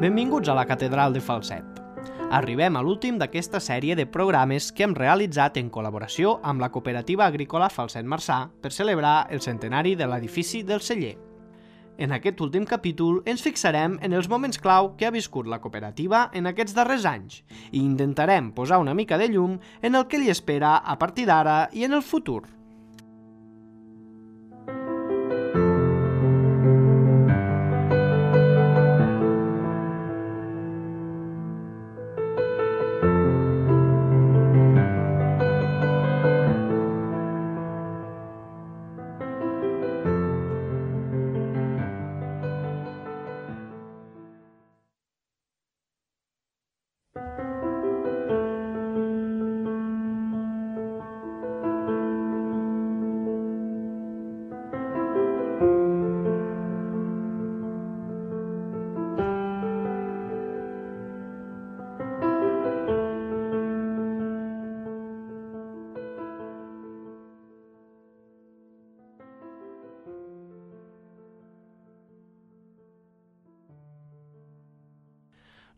Benvinguts a la Catedral de Falset. Arribem a l'últim d'aquesta sèrie de programes que hem realitzat en col·laboració amb la Cooperativa Agrícola Falset Marçà per celebrar el centenari de l'edifici del celler. En aquest últim capítol ens fixarem en els moments clau que ha viscut la cooperativa en aquests darrers anys i intentarem posar una mica de llum en el que li espera a partir d'ara i en el futur.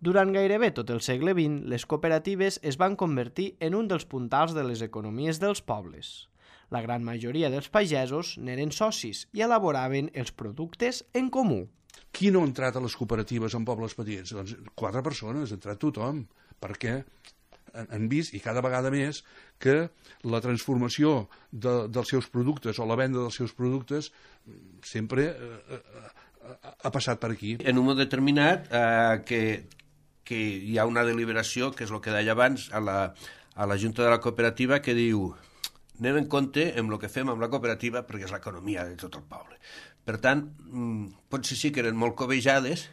Durant gairebé tot el segle XX, les cooperatives es van convertir en un dels puntals de les economies dels pobles. La gran majoria dels pagesos n'eren socis i elaboraven els productes en comú. Qui no ha entrat a les cooperatives en pobles petits? Doncs 4 persones, ha entrat tothom, perquè han vist, i cada vegada més, que la transformació dels seus productes o la venda dels seus productes sempre ha passat per aquí. En un moment determinat que hi ha una deliberació, que és el que deia abans, a la Junta de la Cooperativa, que diu: anem en compte amb el que fem amb la cooperativa perquè és l'economia de tot el poble. Per tant, potser sí que eren molt cobejades,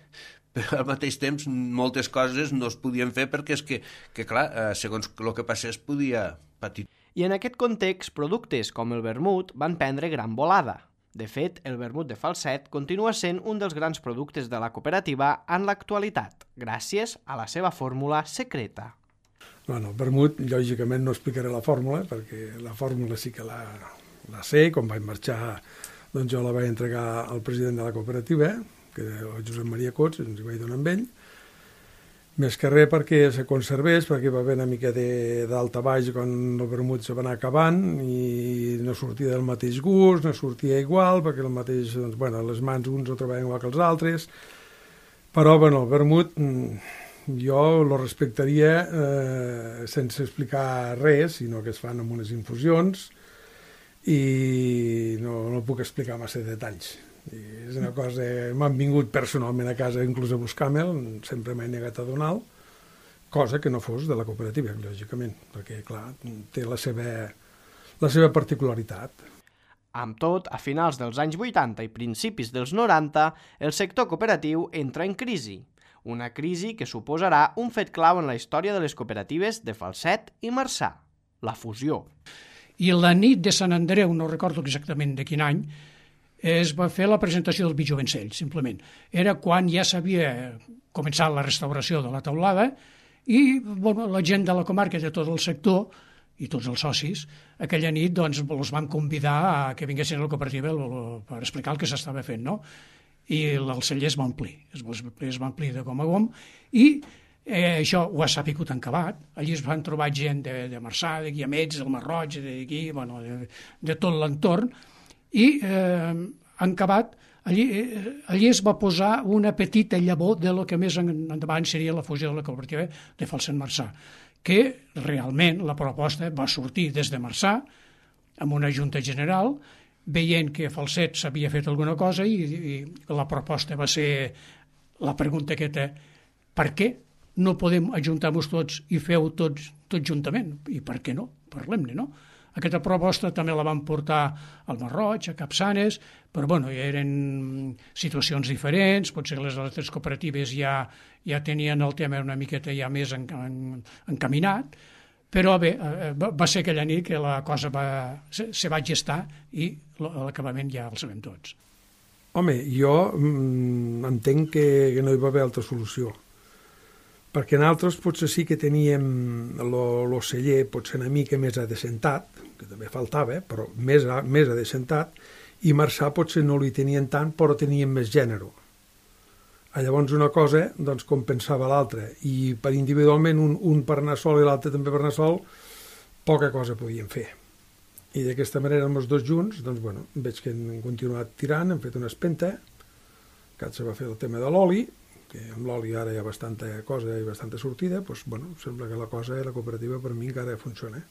però al mateix temps moltes coses no es podien fer perquè és que clar, segons el que passés podia patir. I en aquest context, productes com el vermut van prendre gran volada. De fet, el vermut de Falset continua sent un dels grans productes de la cooperativa en l'actualitat, gràcies a la seva fórmula secreta. Bueno, el vermut, lògicament, no explicaré la fórmula, perquè la fórmula sí que la sé. Quan vaig marxar, doncs jo la vaig entregar al president de la cooperativa, que era el Josep Maria Cots, ens hi vaig donar amb ell. Més que res perquè se conservés, perquè va haver una mica d'alta baix quan el vermut se va anar acabant i no sortia del mateix gust, no sortia igual, perquè el mateix, doncs, bueno, les mans uns ho trebaven igual que els altres. Però, bueno, el vermut jo lo respectaria sense explicar res, sinó que es fan amb unes infusions i no puc explicar massa detalls. I és una cosa, m'han vingut personalment a casa inclús a buscar-me'l, sempre m'he negat a donar-lo, cosa que no fos de la cooperativa, lògicament, perquè, clar, té la seva particularitat. Amb tot, a finals dels anys 80 i principis dels 90, el sector cooperatiu entra en crisi. Una crisi que suposarà un fet clau en la història de les cooperatives de Falset i Marçà, la fusió. I la nit de Sant Andreu, no recordo exactament de quin any, es va fer la presentació del vi Jovencell, simplement. Era quan ja s'havia començat la restauració de la teulada i bueno, la gent de la comarca, de tot el sector i tots els socis, aquella nit doncs, els vam convidar a que vinguessin a la cooperativa per explicar el que s'estava fent, no? I el celler es va omplir, es va omplir de gom a gom i això ho ha sabut en Cabat. Allí es van trobar gent de Marçà, de Guiamets, del Masroig, d'aquí, bueno, de tot l'entorn. I en Cabat, allí es va posar una petita llavor de lo que més endavant seria la fusió de la cooperativa de Falset Marçà, que realment la proposta va sortir des de Marçà amb una junta general, veient que a Falset s'havia fet alguna cosa i la proposta va ser la pregunta aquesta: per què no podem ajuntar-vos tots i feu tots juntament? I per què no? Parlem-ne, no? Aquesta proposta també la van portar al Masroig, a Capçanes, però bueno, eren situacions diferents, potser les altres cooperatives ja tenien el tema una miqueta ja més encaminat, però bé, va ser aquella nit que la cosa se va gestar i l'acabament ja el sabem tots. Home, jo entenc que no hi va haver altra solució, perquè nosaltres potser sí que teníem el celler potser una mica més adecentat, que també faltava, però més adecentat, i Marçà potser no li tenien tant, però tenien més gènere. Llavors una cosa doncs, compensava l'altra, i per individualment un per anar sol i l'altre també per anar sol, poca cosa podien fer. I d'aquesta manera amb els dos junts, doncs, bueno, veig que han continuat tirant, han fet una espenta, que se va fer el tema de l'oli, que amb l'oli ara hi ha bastanta cosa i bastanta sortida, doncs, bueno, sembla que la cosa, la cooperativa per mi encara funciona.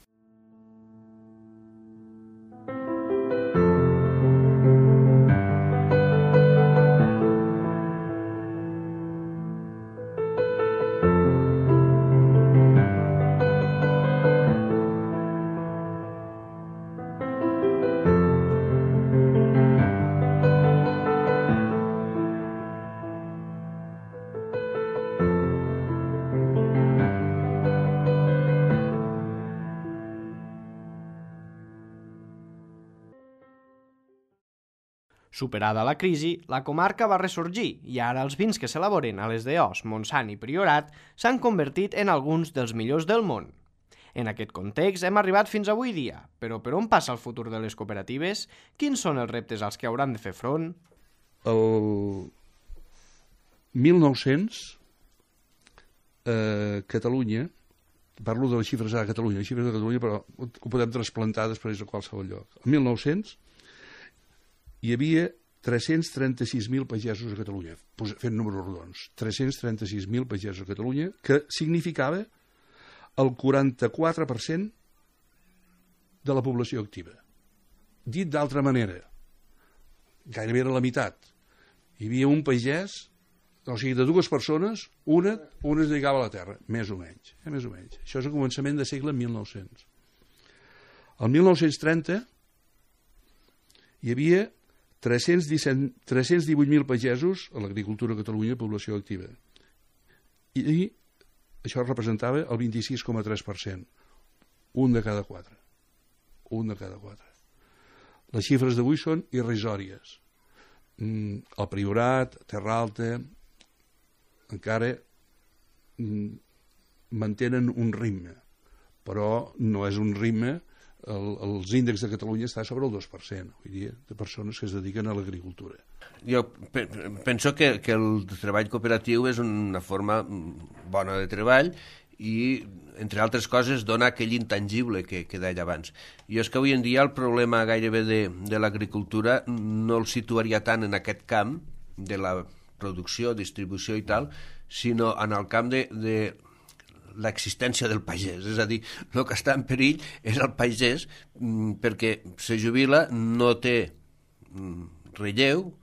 Superada la crisi, la comarca va ressorgir i ara els vins que s'elaboren a les d'Eós, Montsant i Priorat s'han convertit en alguns dels millors del món. En aquest context hem arribat fins avui dia, però per on passa el futur de les cooperatives? Quins són els reptes als que hauran de fer front? El 1900, Catalunya, parlo de les xifres de Catalunya, però ho podem trasplantar després a qualsevol lloc. El 1900 hi havia 336.000 pagesos a Catalunya, fent números rodons, 336.000 pagesos a Catalunya, que significava el 44% de la població activa. Dit d'altra manera, gairebé era la meitat. Hi havia un pagès, o sigui, de dues persones, una es dedicava a la terra, més o menys. Això és el començament de segle 1900. El 1930 hi havia 318.000 pagesos a l'agricultura a Catalunya, població activa. I això representava el 26,3%. Un de cada quatre. Les xifres d'avui són irrisòries. El Priorat, Terra Alta, encara mantenen un ritme, però no és un ritme. Els índexs de Catalunya està sobre el 2%, vull dir, de persones que es dediquen a l'agricultura. Jo penso que el treball cooperatiu és una forma bona de treball i, entre altres coses, dona aquell intangible que deia abans. Jo és que avui en dia el problema gairebé de l'agricultura no el situaria tant en aquest camp de la producció, distribució i tal, sinó en el camp de l'existència del pagès, és a dir, el que està en perill és el pagès perquè se jubila, no té relleu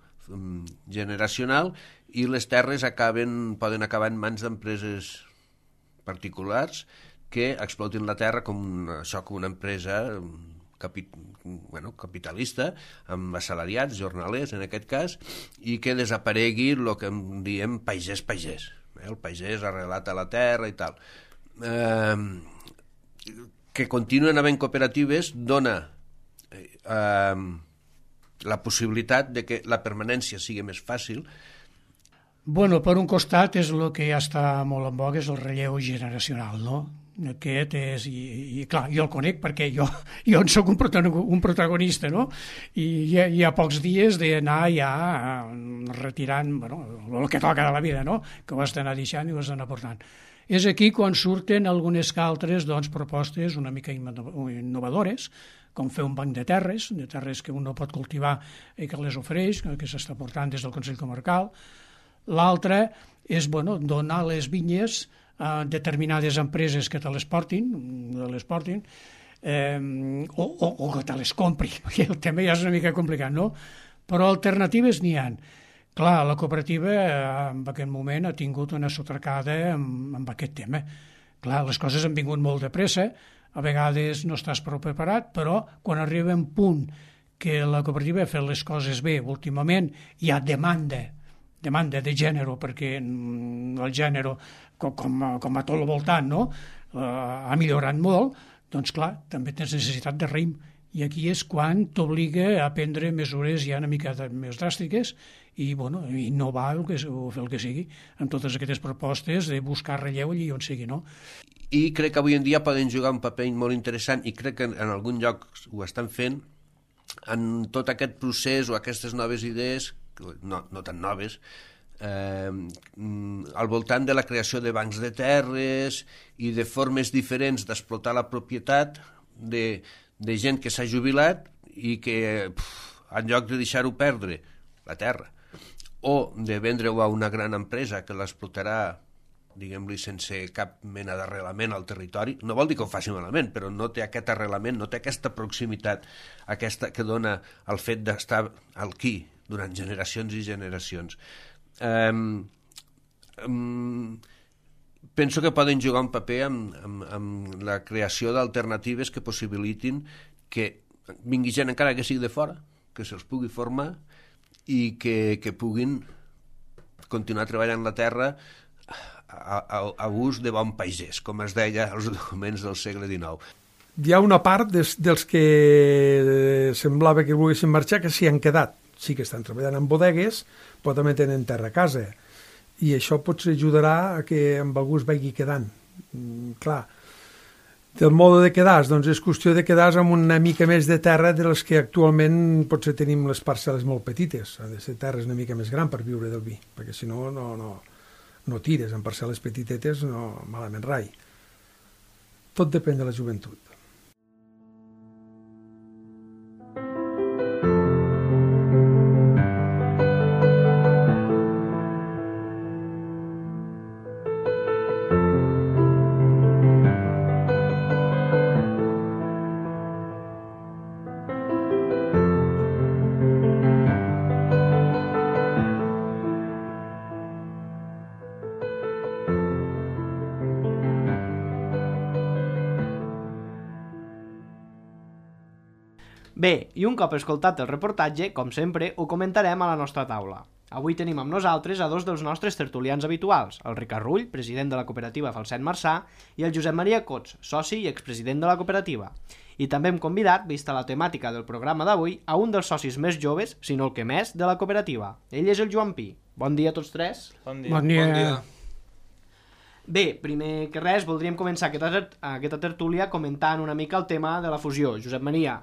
generacional i les terres poden acabar en mans d'empreses particulars que explotin la terra com una empresa capitalista, amb assalariats, jornalers en aquest cas, i que desaparegui el que en diem pagès. El pagès arrelat a la terra i tal. Que continuen havent cooperatives dona la possibilitat de que la permanència sigui més fàcil. Bueno, per un costat és el que ja està molt en boga, és el relleu generacional, no? Aquest és, i clar, jo el conec perquè jo en soc un protagonista, no? I hi ha pocs dies d'anar ja retirant, bueno, el que toca de la vida, no? Que ho has d'anar deixant i ho has d'anar portant. És aquí quan surten algunes que altres propostes una mica innovadores, com fer un banc de terres que un no pot cultivar i que les ofereix, que s'està portant des del Consell Comarcal. L'altre és donar les vinyes a determinades empreses que te les portin, o que te les compri. El tema ja és una mica complicat, no? Però alternatives n'hi ha. Clar, la cooperativa en aquest moment ha tingut una sotracada amb aquest tema. Clar, les coses han vingut molt de pressa, a vegades no estàs prou preparat, però quan arriba un punt que la cooperativa ha fet les coses bé, últimament hi ha demanda de gènere, perquè el gènere, com a tot el voltant, no? Ha millorat molt, doncs clar, també tens necessitat de raïm, I aquí és quan t'obliga a prendre mesures ja una mica més dràstiques i innovar o fer el que sigui amb totes aquestes propostes de buscar relleu allí on sigui, no? I crec que avui en dia poden jugar un paper molt interessant i crec que en algun lloc ho estan fent en tot aquest procés o aquestes noves idees, no tan noves, al voltant de la creació de bancs de terres i de formes diferents d'explotar la propietat de gent que s'ha jubilat i que en lloc de deixar-ho perdre la terra o de vendre-ho a una gran empresa que l'explotarà, diguem-li, sense cap mena d'arrelament al territori, no vol dir que ho faci malament, però no té aquest arrelament, no té aquesta proximitat aquesta que dona el fet d'estar aquí durant generacions i generacions. Penso que poden jugar un paper amb la creació d'alternatives que possibilitin que vingui gent encara que sigui de fora, que se'ls pugui formar i que puguin continuar treballant la terra a ús de bon pagès, com es deia als documents del segle XIX. Hi ha una part dels que semblava que volguessin marxar que s'hi han quedat. Sí que estan treballant en bodegues, però també tenen terra a casa. I això potser ajudarà a que amb algú es vagi quedant. Clar, del mode de quedar, doncs és qüestió de quedar amb una mica més de terra de les que actualment potser tenim les parcel·les molt petites. Ha de ser terres una mica més gran per viure del vi, perquè si no, no tires en parcel·les petitetes, no malament rai. Tot depèn de la joventut. Bé, i un cop escoltat el reportatge, com sempre, ho comentarem a la nostra taula. Avui tenim amb nosaltres a dos dels nostres tertulians habituals, el Ricard Rull, president de la cooperativa Falset Marçà, i el Josep Maria Cots, soci i expresident de la cooperativa. I també hem convidat, vista la temàtica del programa d'avui, a un dels socis més joves, si no el que més, de la cooperativa. Ell és el Joan Pi. Bon dia a tots tres. Bon dia. Bon dia. Bé, primer que res, voldríem començar aquesta tertúlia comentant una mica el tema de la fusió. Josep Maria,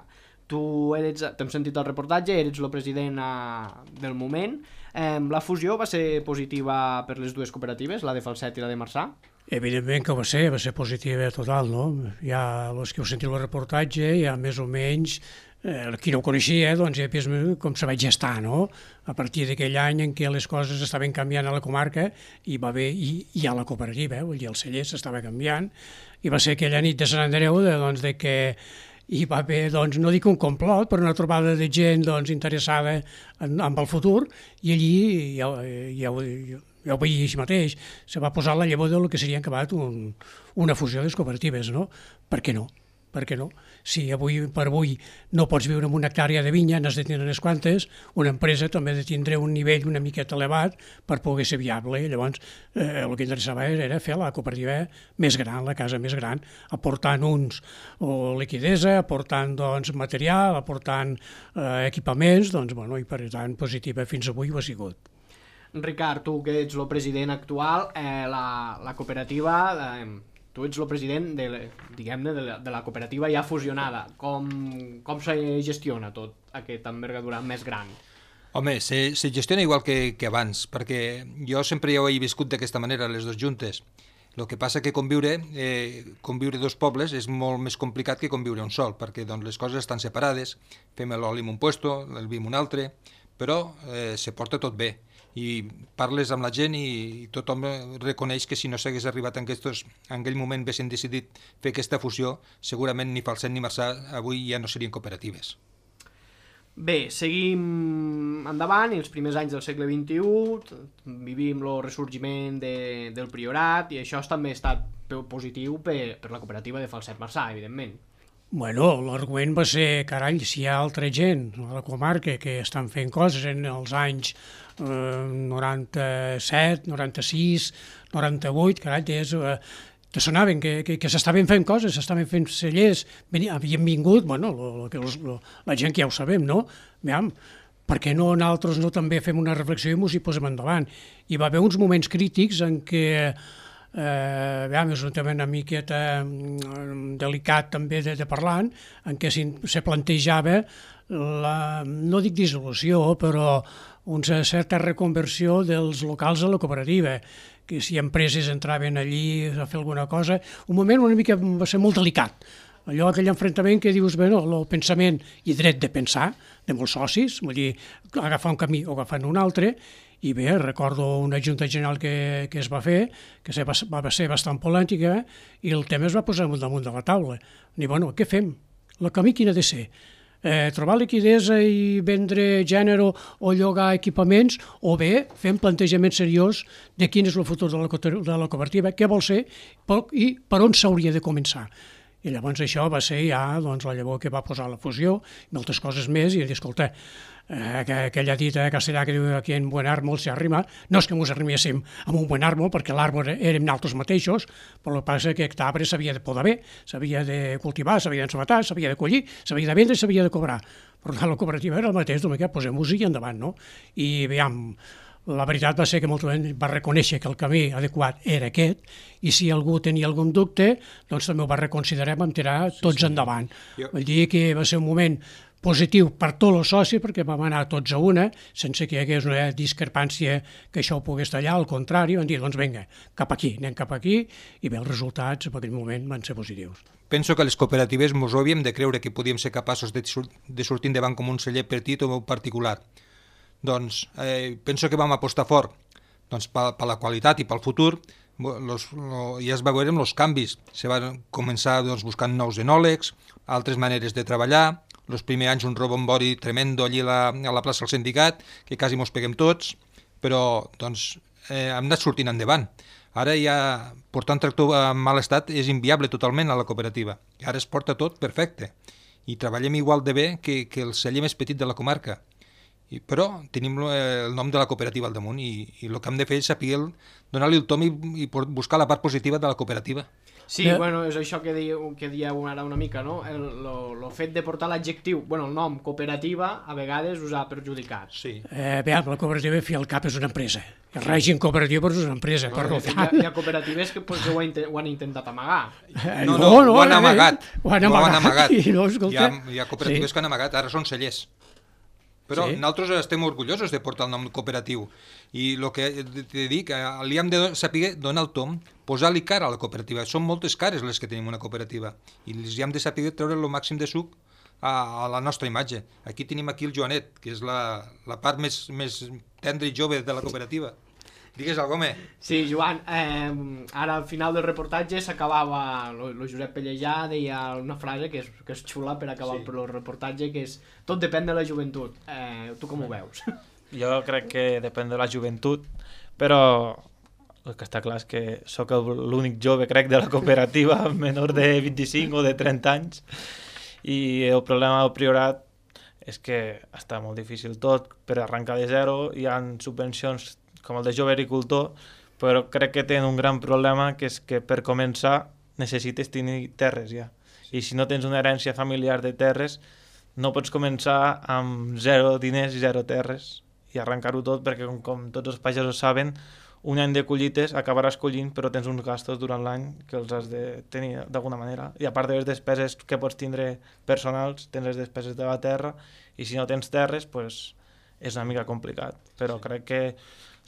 tu t'hem sentit el reportatge, eres el president del moment. La fusió va ser positiva per les dues cooperatives, la de Falset i la de Marçà? Evidentment que va ser positiva total, no? Ja els que heu sentit el reportatge, ja més o menys, qui no ho coneixia, doncs ja vist com se vaig gestar, no? A partir d'aquell any en què les coses estaven canviant a la comarca i va haver, i a la cooperativa, vull dir, el celler s'estava canviant, i va ser aquella nit de Sant Andreu de que hi va haver, doncs, no dic un complot, però una trobada de gent interessada en el futur, i allí ja ho veia així mateix, se va posar la llavor del que seria acabat una fusió de les cooperatives, no? Per què no? Per què no? Si avui per avui no pots viure en una hectàrea de vinya, n'has de tindre unes quantes, una empresa també ha de tindre un nivell una miqueta elevat per poder ser viable. Llavors, el que interessava era fer la cooperativa més gran, la casa més gran, aportant liquidesa, aportant material, aportant equipaments, i per tant positiva fins avui ho ha sigut. Ricard, tu que ets el president actual, la cooperativa... Tu ets el president de la cooperativa ja fusionada. Com se gestiona tot aquesta envergadura més gran? Home, se gestiona igual que abans, perquè jo sempre ja ho he viscut d'aquesta manera, les dues juntes. El que passa que conviure dos pobles és molt més complicat que conviure un sol, perquè les coses estan separades, fem l'oli en un puesto, el vi en un altre, però se porta tot bé. I parles amb la gent i tothom reconeix que si no s'hagués arribat en aquell moment haguessin decidit fer aquesta fusió, segurament ni Falset ni Marçà avui ja no serien cooperatives. Bé, seguim endavant, i els primers anys del segle XXI vivim el ressorgiment del priorat, i això també ha estat positiu per la cooperativa de Falset Marçà, evidentment. Bueno, l'argument va ser, carai, si hi ha altra gent a la comarca que estan fent coses en els anys 97, 96, 98, carai, que sonaven, que s'estaven fent coses, s'estaven fent cellers, havien vingut, bueno, la gent que ja ho sabem, no? Veiem, per què no nosaltres no també fem una reflexió i ens hi posem endavant? Hi va haver uns moments crítics en què, veiem, és un tema una miqueta delicat també de parlar, en què se plantejava no dic dissolució, però una certa reconversió dels locals a la cooperativa, que si empreses entraven allí a fer alguna cosa, un moment una mica va ser molt delicat. Allò, aquell enfrontament que dius, bé, el pensament i dret de pensar de molts socis, vull dir, agafar un camí o agafar un altre, i bé, recordo una junta general que es va fer, que va ser bastant polèmica, i el tema es va posar damunt de la taula. I bueno, què fem? El camí quin ha de ser? Trobar liquidesa i vendre gènere o llogar equipaments, o bé fem plantejament seriós de quin és el futur de la cooperativa, què vol ser i per on s'hauria de començar. I llavors això va ser ja la llavor que va posar la fusió, moltes coses més, i escolta, aquella dita castellà que diu aquí en buen árbol se arrima, no és que ens arriméssim amb un buen árbol, perquè l'arbre érem nosaltres mateixos, però el que passa és que aquest arbre s'havia de podar bé, s'havia de cultivar, s'havia d'ensabatar, s'havia de collir, s'havia de vendre i s'havia de cobrar. Per tant, la cooperativa era el mateix, posem-nos-hi endavant, no? I veiem, la veritat va ser que molta gent va reconèixer que el camí adequat era aquest, i si algú tenia algun dubte, doncs també ho va reconsiderar i vam tirar tots endavant. Vull dir que va ser un moment positiu per tots els socis, perquè vam anar tots a una, sense que hi hagués una discrepància que això ho pogués tallar, al contrari, van dir, doncs vinga, cap aquí, anem cap aquí, i bé, els resultats en aquell moment van ser positius. Penso que les cooperatives ens havíem de creure que podíem ser capaços de sortir endavant com un celler petit o particular. Doncs penso que vam apostar fort per la qualitat i pel futur. Ja es va veure amb els canvis. Se van començar buscant nous enòlegs, altres maneres de treballar. Els primers anys un rebombori tremendo allí a la plaça del sindicat, que quasi mos peguem tots, però hem anat sortint endavant. Ara ja portar un tractor en mal estat és inviable totalment a la cooperativa. I ara es porta tot perfecte. I treballem igual de bé que el celler més petit de la comarca. Però tenim el nom de la cooperativa al damunt i el que hem de fer és saber donar-li el tom i buscar la part positiva de la cooperativa. Sí, bueno, és això que dieu ara una mica, no? El fet de portar l'adjectiu, el nom cooperativa, a vegades us ha perjudicat. Sí. Bé, la cooperativa, fi al cap, és una empresa. El règim cooperatiu és una empresa, per tant. Hi ha cooperatives que ho han intentat amagar. No, ho han amagat. Ho han amagat. Hi ha cooperatives que han amagat, ara són cellers. Però nosaltres estem orgullosos de portar el nom cooperatiu i el que te dic, li hem de saber donar el tom, posar-li cara a la cooperativa. Són moltes cares les que tenim una cooperativa i li hem de saber treure el màxim de suc a la nostra imatge. Aquí tenim el Joanet, que és la part més tendra i jove de la cooperativa. Digues alguna cosa, home. Sí, Joan, ara al final del reportatge s'acabava, el Josep Pellejà deia una frase que és xula per acabar el reportatge, que és tot depèn de la joventut. Tu com ho veus? Jo crec que depèn de la joventut, però el que està clar és que sóc l'únic jove, crec, de la cooperativa, menor de 25 o de 30 anys, i el problema del Priorat és que està molt difícil tot per arrencar de zero. Hi ha subvencions com el de jove agricultor, però crec que tenen un gran problema, que és que per començar necessites tenir terres ja. I si no tens una herència familiar de terres, no pots començar amb 0 diners i 0 terres i arrencar-ho tot, perquè com tots els pagesos saben, un any de collites acabaràs collint, però tens uns gastos durant l'any que els has de tenir d'alguna manera. I a part de les despeses que pots tindre personals, tens les despeses de la terra, i si no tens terres, doncs és una mica complicat. Però crec que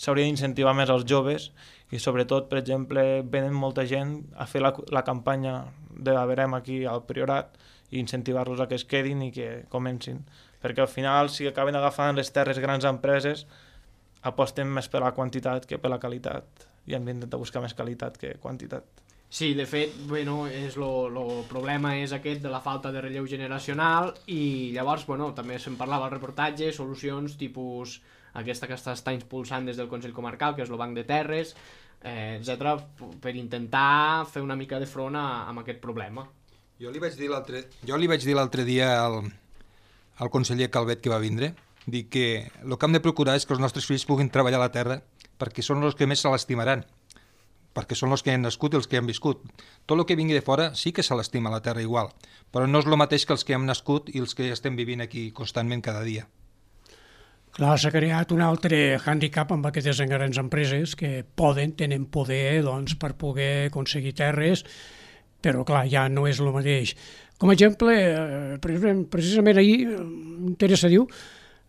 s'hauria d'incentivar més als joves i sobretot, per exemple, venen molta gent a fer la campanya de la Verem aquí al Priorat i incentivar-los a que es quedin i que comencin. Perquè al final, si acaben agafant les terres grans empreses, aposten més per la quantitat que per la qualitat i hem d'intentar buscar més qualitat que quantitat. Sí, de fet, el problema és aquest de la falta de relleu generacional i llavors, també se'n parlava al reportatge, solucions tipus aquesta que està impulsant des del Consell Comarcal, que és el Banc de Terres, etc., per intentar fer una mica de front amb aquest problema. Jo li vaig dir l'altre dia al conseller Calvet que va vindre, dir que el que hem de procurar és que els nostres fills puguin treballar a la terra perquè són els que més se l'estimaran. perquè són els que han nascut i els que han viscut. Tot el que vingui de fora sí que se l'estima la terra igual, però no és el mateix que els que hem nascut i els que estem vivint aquí constantment cada dia. Clar, s'ha creat un altre hàndicap amb aquestes grans empreses que tenen poder doncs, per poder aconseguir terres, però clar, ja no és el mateix. Com a exemple, precisament ahir, m'interessa,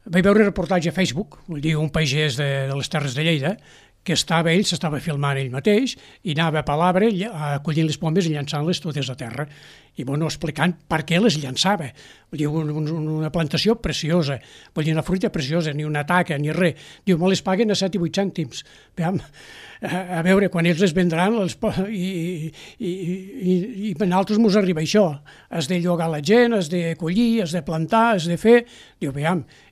vaig veure un reportatge a Facebook, vull dir, un pagès de les Terres de Lleida, que s'estava filmant ell mateix i anava per l'arbre acollint les pomes i llançant-les totes a terra. I explicant per què les llançava. Vull dir, una plantació preciosa, vull dir, una fruita preciosa, ni una taca, ni res. Diu, me les paguen a 7 i 8 cèntims. A veure, quan ells les vendran i a nosaltres mos arriba això. Has de llogar la gent, has de collir, has de plantar, has de fer... Diu,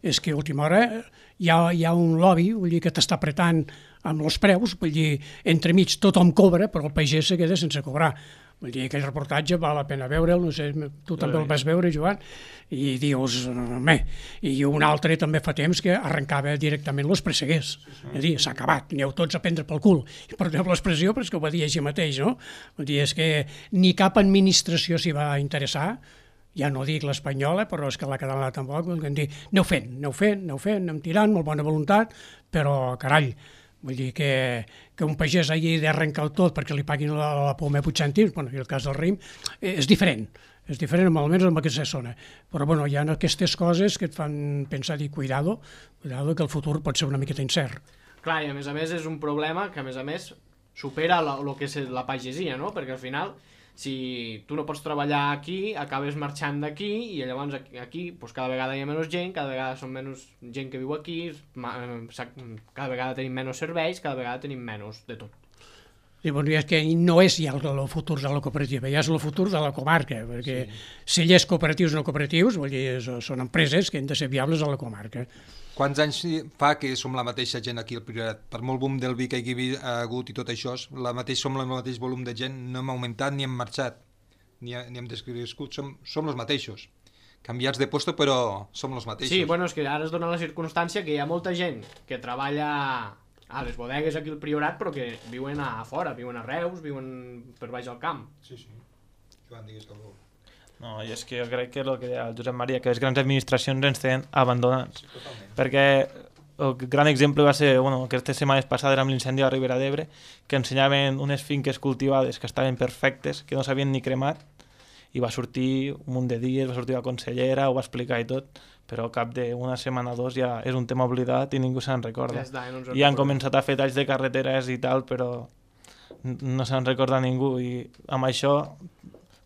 és que a última hora hi ha un lobby, vull dir, que t'està apretant amb els preus, vull dir, entremig tothom cobra, però el pagès se queda sense cobrar. Vull dir, aquell reportatge val la pena veure'l, no sé, tu també el vas veure, Joan, i dius, i un altre també fa temps que arrencava directament els presseguers. És a dir, s'ha acabat, aneu tots a prendre pel cul. I perdeu l'expressió, però és que ho va dir així mateix, no? Vull dir, és que ni cap administració s'hi va interessar, ja no dic l'espanyola, però és que la catalana tampoc, aneu fent, anem tirant, molt bona voluntat, però, carall, vull dir que un pagès hagi d'arrencar tot perquè li paguin la poma a 8 cèntims, en el cas del raïm, és diferent, almenys en aquesta zona. Però hi ha aquestes coses que et fan pensar, cuidado, que el futur pot ser una miqueta incert. Clar, i a més és un problema que a més supera el que és la pagesia, no? Perquè al final, si tu no pots treballar aquí, acabes marxant d'aquí i llavors aquí cada vegada hi ha menys gent, cada vegada són menys gent que viu aquí, cada vegada tenim menys serveis, cada vegada tenim menys de tot. I és que no és ja el futur de la cooperativa, ja és el futur de la comarca, perquè cellers cooperatius o no cooperatius, vull dir, són empreses que han de ser viables a la comarca. Quants anys fa que som la mateixa gent aquí al Priorat? Per molt boom del vi que hi ha hagut i tot això, som el mateix volum de gent, no hem augmentat ni hem marxat, ni hem descrescut, som els mateixos. Canviats de puesto, però som els mateixos. Sí, és que ara es dona la circumstància que hi ha molta gent que treballa a les bodegues aquí al Priorat, però que viuen a fora, viuen a Reus, viuen per baix al camp. Sí. Joan, digues que algú. No, i és que jo crec que és el que deia el Josep Maria, que les grans administracions ens tenen abandonats. Totalment. Perquè el gran exemple va ser, aquestes setmanes passades amb l'incendi a la Ribera d'Ebre, que ensenyaven unes finques cultivades que estaven perfectes, que no s'havien ni cremat, i va sortir un munt de dies, va sortir la consellera, ho va explicar i tot, però al cap d'una setmana o dos ja és un tema oblidat i ningú se'n recorda. I han començat a fer talls de carreteres i tal, però no se'n recorda ningú, i amb això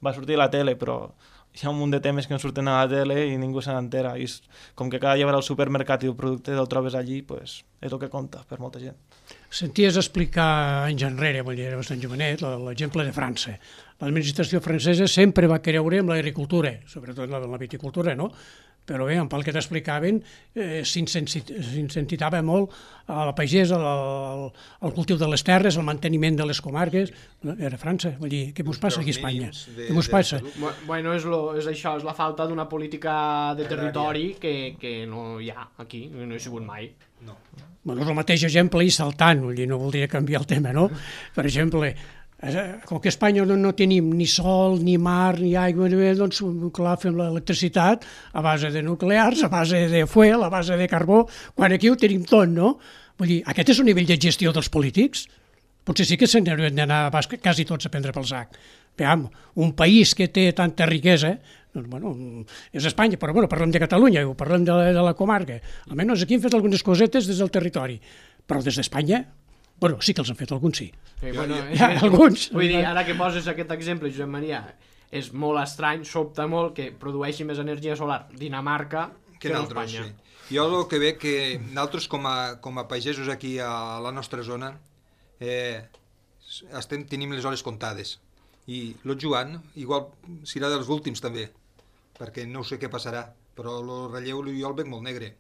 va sortir a la tele, però hi ha un munt de temes que no surten a la tele i ningú se n'entera. I com que cada dia vas al supermercat i el producte el trobes allí, és el que compta per molta gent. Senties explicar anys enrere, vull dir, era bastant jovenet, l'exemple de França. L'administració francesa sempre va creure en l'agricultura, sobretot en la viticultura, no? Però bé, pel que t'explicaven, s'incitava molt a la pagesa, al cultiu de les terres, al manteniment de les comarques. Era França, vull dir, què mos passa aquí a Espanya? Què mos passa? És això, és la falta d'una política de territori que no hi ha aquí, no hi ha sigut mai. No. És el mateix exemple i saltant, vull dir, no voldria canviar el tema, no? Per exemple, com que a Espanya no tenim ni sol, ni mar, ni aigua, doncs clar, fem l'electricitat a base de nuclears, a base de fuel, a base de carbó, quan aquí ho tenim tot, no? Vull dir, aquest és el nivell de gestió dels polítics? Potser sí que se n'haurien d'anar quasi tots a prendre pel sac. Veam, un país que té tanta riquesa, doncs, és Espanya, però parlem de Catalunya, parlem de la comarca. Almenys aquí hem fet algunes cosetes des del territori, però des d'Espanya, sí que els han fet alguns, sí. Alguns. Vull dir, ara que poses aquest exemple, Josep Maria, és molt estrany, sobta molt que produeixi més energia solar Dinamarca que Espanya. Sí. Jo el que veig que nosaltres com a pagesos aquí a la nostra zona tenim les hores comptades. I el Joan, igual serà dels últims també, perquè no sé què passarà, però el relleu jo el veig molt negre.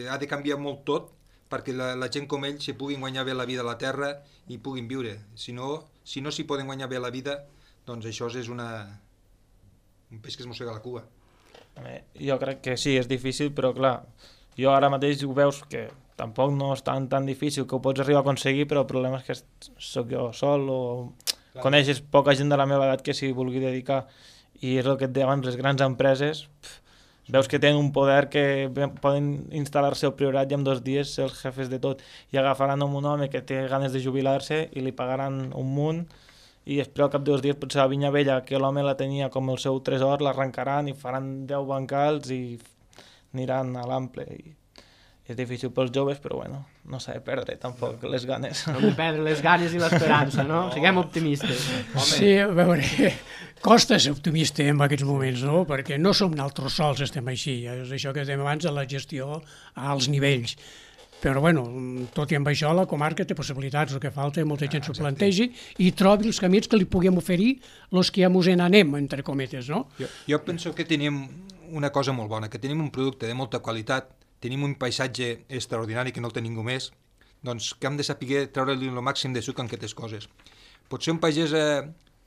Ha de canviar molt tot perquè la gent com ell s'hi puguin guanyar bé la vida a la terra i puguin viure. Si no s'hi poden guanyar bé la vida, doncs això és un peix que es mossega la cua. Jo crec que sí, és difícil, però clar, jo ara mateix ho veus que tampoc no és tan difícil, que ho pots arribar a aconseguir, però el problema és que sóc jo sol o coneixes poca gent de la meva edat que s'hi vulgui dedicar, i és el que et deia abans, les grans empreses veus que tenen un poder que poden instal·lar-se al Priorat i en 2 dies ser els jefes de tot, i agafaran un home que té ganes de jubilar-se i li pagaran un munt, i després al cap de 2 dies potser la vinya vella, que l'home la tenia com el seu tresor, l'arrencaran i faran 10 bancals i aniran a l'ample. I és difícil pels joves, però bueno, no s'ha de perdre tampoc les ganes. No hem de perdre les ganes i l'esperança, no? Siguem optimistes. Sí, a veure, costa ser optimista en aquests moments, no? Perquè no som nosaltres sols, estem així. És això que dèiem abans de la gestió a alts nivells. Però, bueno, tot i amb això, la comarca té possibilitats. El que falta, molta gent s'ho plantegi i trobi els camins que li puguem oferir els que ja mos n'anem, entre cometes, no? Jo penso que tenim una cosa molt bona, que tenim un producte de molta qualitat, tenim un paisatge extraordinari que no el té ningú més, doncs que hem de saber treure-li el màxim de suc en aquestes coses. Potser un pagès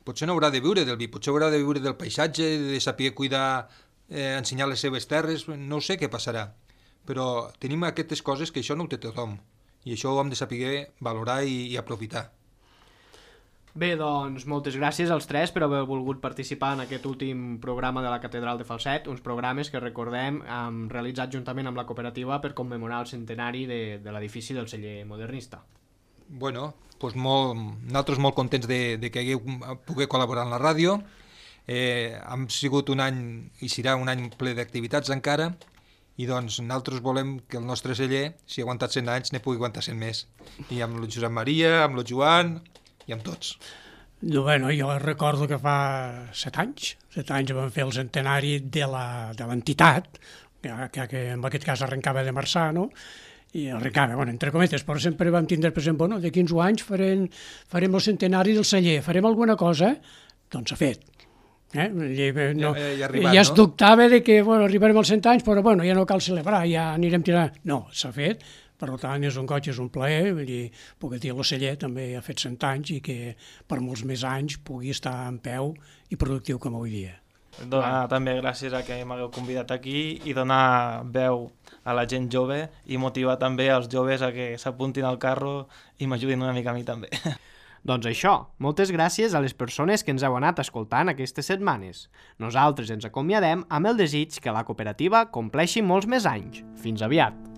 potser no haurà de viure del vi, potser haurà de viure del paisatge, de saber cuidar, ensenyar les seves terres, no sé què passarà. Però tenim aquestes coses que això no ho té tothom, i això ho hem de saber valorar i aprofitar. Bé, doncs, moltes gràcies als 3 per haver volgut participar en aquest últim programa de la Catedral de Falset, uns programes que, recordem, hem realitzat juntament amb la cooperativa per commemorar el centenari de l'edifici del celler modernista. Bueno, doncs nosaltres molt contents de que hagueu pogut col·laborar en la ràdio. Hem sigut un any, i serà un any ple d'activitats encara, i doncs nosaltres volem que el nostre celler, si ha aguantat 100 anys, ne pugui aguantar 100 més. I amb el Josep Maria, amb el Joan i amb tots. Bueno, jo recordo que fa 7 anys vam fer el centenari de l'entitat, que en aquest cas arrencava de Marçà, no? I arrencava, bueno, entre cometes, però sempre vam tindre present, bueno, de 15 anys farem el centenari del celler, farem alguna cosa? Doncs s'ha fet. Ja es dubtava de que arribarem als 100 anys, però bueno, ja no cal celebrar, ja anirem tirant. No, s'ha fet. Per tant, és un goig, és un plaer, vull dir, puc dir, el celler també ha fet 100 anys i que per molts més anys pugui estar en peu i productiu com avui dia. Donar també gràcies a que m'hagueu convidat aquí i donar veu a la gent jove i motivar també els joves a que s'apuntin al carro i m'ajudin una mica a mi també. Doncs això, moltes gràcies a les persones que ens heu anat escoltant aquestes setmanes. Nosaltres ens acomiadem amb el desig que la cooperativa compleixi molts més anys. Fins aviat!